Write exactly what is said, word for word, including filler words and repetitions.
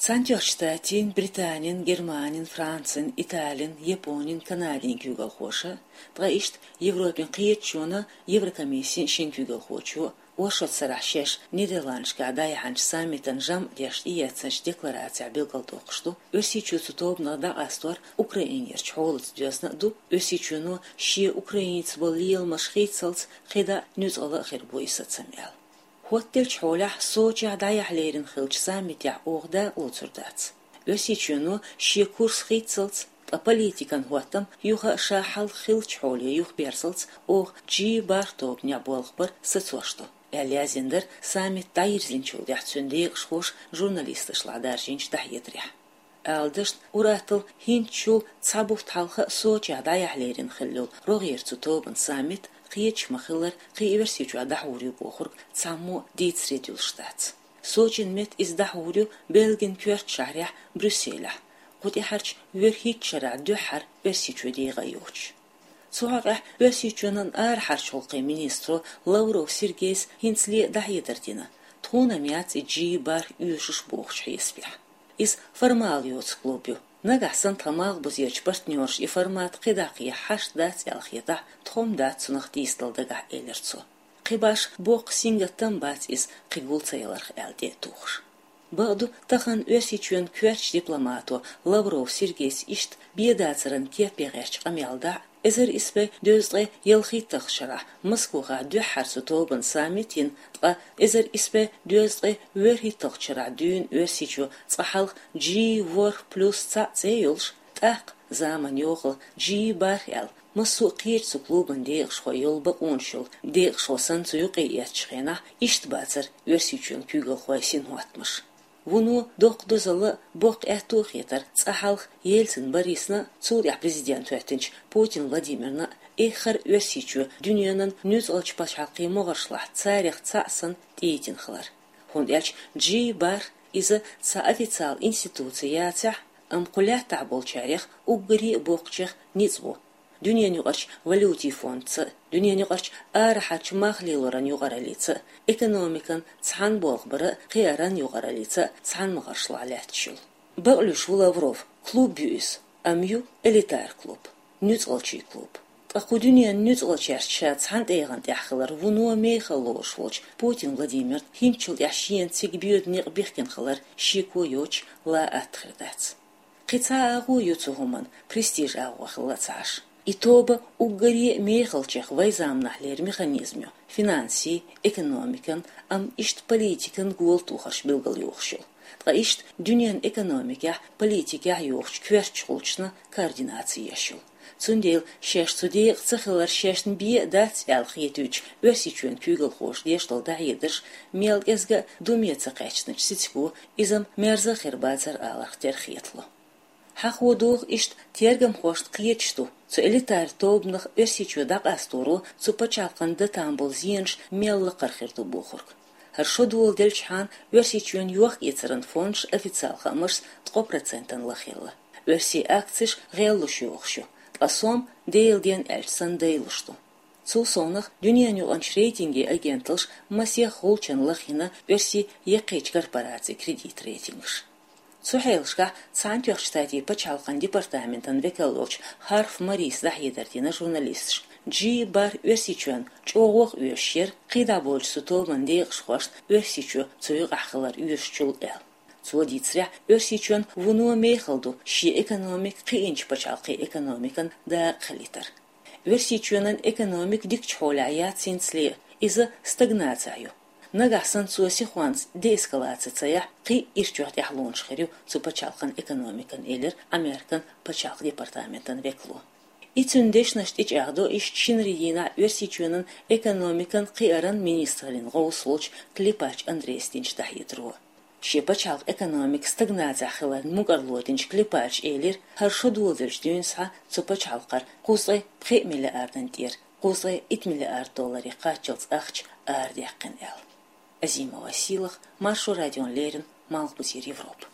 Цхьаьнатоьхначу Штатийн, Британин, Германин, Францин, Италин, Японин, Канадин куьйгалхоша, ткъа иштта Европин кхеташонан, Еврокомиссин шин куьйгалхочо, оршот сарахь шаьш Нидерландашкахь дӀаяьхьначу саммитан жамӀ деш тӀеэцначу декларацехь билгалдоккхуш ду, Оьрсийчоь цу тобанах дӀакъастор Украинерчу хьолаца доьзна а ду, Оьрсийчоьно шен Украинаца болу леламаш хийцалц кхидӀа нуьцкъала а хир бу и сацам аьлла. ХӀоттаделлачу хьолехь Сочехь дӀаяхьа лерина хиллачу саммитехь оха дакъа лоцур дац. Оьрсийчоьно шен курс хийцалц, ткъа политикан хӀоттам юха а ша хьалха хиллачу хьоле юхаберзалц оха Джи бархӀ тобанехь болх бар сацош ду, аьлла яздина дара саммит дӀайирзинчул тӀаьхьа цуьнан декъашхоша журналисташлахь даржийначу дӀахьедарехь. Ала дашна, ур-атталла хӀинцачул цхьа бутт хьалха Сочехь дӀаяхьа лерина хилла йолу рогӀера цу тобанан саммит кхеташ ма-хиллара кхин Оьрсийчохь дӀахьур ю бохург цхьаммо дийцаре дуьллуш дац. Сочин метта иза дӀахьур ю Бельгин коьртачу шахьарехь Брюсселехь, кху тӀаьхьарчу вуьрхӀитта шарахь дуьххьара Оьрсийчоь дегӀан йоцуш. Цу хьокъехь Оьрсийчоьнан арахьарчу гӀуллакхийн министро Лавров Сергейс хӀинцале дӀахьедар дина, тхуна-м яц и Джи бархӀ оьшуш бохучу хьесапехь. Иза формал йоцу клуб ю. Нагахь санна тхан малхбузерчу партнерша и формат кхидӀа кхехьа хьашт дац аьлла хетахь, тхо-м дац цунах дийцадала дагахь, элира цо. Кхин башха боккха сингаттам бац иза кхин гул ца яларх аьлла тӀе а тухуш. Бакъду, тахана Оьрсийчоьнан коьртачу дипломато Лавров Сергейс иштта бен дацаран кепе гӀертачу къамел дахь, эзар исс бӀе дезткъе ялхитталгӀачу шарахь Москвахь дуьххьара цу тобанан саммит йина, ткъа эзар исс бӀе дезткъе вуьрхӀитталгӀачу шарахь дуьйна Оьрсийчоь цкъа хьалха Джи ворхӀ плюс цхьаъ цӀе йолуш, тӀаккха заманан йохалла Джи бархӀ аьлла, массо а кхечу цу клубан декъашхой йолу бакъонаш йолу декъашхо санна цу юкъе эцначу хенахь, иштта бацара Оьрсийчоьнан куьйгалхойн синхӀоттамаш. Вуно доккха дозалла а, боккха аьтто а хетара цкъа хьалха Ельцин Борисна а, цул тӀаьхьа президент хӀоьттинчу Путин Владимирна а эххар Оьрсийчоь дуьненан нуьцкъалчу пачхьалкхийн могӀаршлахь царех цхьаъ санна тӀейтина хилар. ХӀунда аьлча Джи бархӀ иза цхьа официал институци яцахь а, амма кху лаьттахь болчарех уггаре а боккхачех ницкъ бу. Дуьненан юкъарчу валютийн фондца а, дуьненан юкъарчу арахьарчу мах лелоран юкъараллица а, экономикан цхьаьна болх баран а, кхиаран юкъараллица а цхьаьна могӀаршлахь лаьтташ йолу. Бакълуьйш ву Лавров, клуб ю иза, амма ю элитар клуб, нуьцкъалчийн клуб. Ткъа кху дуьненан нуьцкъалчаьрца ша цхьана тӀегӀан тӀехь хилар вуно мехала лоруш волчу Путин Владимирна хӀинцачул тӀаьхьа шена цига боьду некъ бихкина хилар шеко йоцуш ла атта хир дац. Кхин цхьа агӀо ю цу хӀуманан, престиж агӀо хилла ца Ӏаш. И тоба уггаре а мехалчех вайн заманахь лерина механизм ю, финансийн, экономикан, амма иштта политикан гола тохарш билгалйохуш йолу. Ткъа иштта дуьненан экономикехь, политикехь йохучу коьртачу гӀулчашна координаци еш йолу. Цундела шаьш цу декъа ца хилар шайна бен а дац аьлла хетуьйтуш, Оьрсийчоьнан куьйгалхоша деш долу дӀахьедарш мел кӀезга а думе ца кхаьчначу сицаго иза-м мерза а хир бацара аларх тера хетало. Хьахо догӀу иштта тергамхошна кхеташ ду, цу элитар тобанах Оьрсийчоь дӀакъасторо цу пачхьалкхан датан болу зенаш мел лакхара хир ду бохург. ХӀара шо доладелчхьана Оьрсийчоьнан йохк-эцаран фондаш официал хаамашца ткъо процентана лахъелла. Оьрсийн акцеш гӀеллуш йохуш ю, ткъа сом Делан ден аьлча санна дайлуш ду. Цул совнаха дуьненан юкъарчу рейтинган агенталша масех гӀулчанна лахйина оьрсийн яккхийчу корпорацийн кредит рейтингаш. Цу хьелашкахь Цхьаьнатоьхначу Штатийн пачхьалкхан департаментан векал волчу Харф Марис дӀахьедар дина журналисташка, Джи бархӀ Оьрсийчоьнна чӀогӀа а оьшуш яра, кхидӀа болчу цу тобанан декъашхошна Оьрсийчоь цу юкъахь хилар оьшучул аьлла. Цо дийцарехь, Оьрсийчоьнна вуно мехала ду шен экономика кхиъначу пачхьалкхийн экономикан дакъа хилийтар. Оьрсийчоьнан экономика дикачу хьолехь яц хӀинцале, иза стагнацехь ю. Нагахь санна цо сихонца деэскалаци ца яхь, кхин а ирчойн тӀаьхьалонаш хир ю цу пачхьалкхан экономикан, элира Американ пачхьалкхан департаментан векало. И цуьнан дешнаш тӀечӀагӀдо иштта шинарин дийнахь Оьрсийчоьнан экономикан, кхиаран министраллин гӀовс волчу Клепач Андрейс динчу дӀахьедаро. Шен пачхьалкхан экономика стагнацехь хиларна мукӀарло динчу Клепача элира, хӀара шо доладелчу дуьйна схьа цу пачхьалкхара кхузткъе пхи миллиардан тӀера кхузткъе итт миллиард долларе кхаччалц ахча арадаьккхина аьлла. Азимова Сийлаха, Маршо радиона леррина, Малхбузера Европа.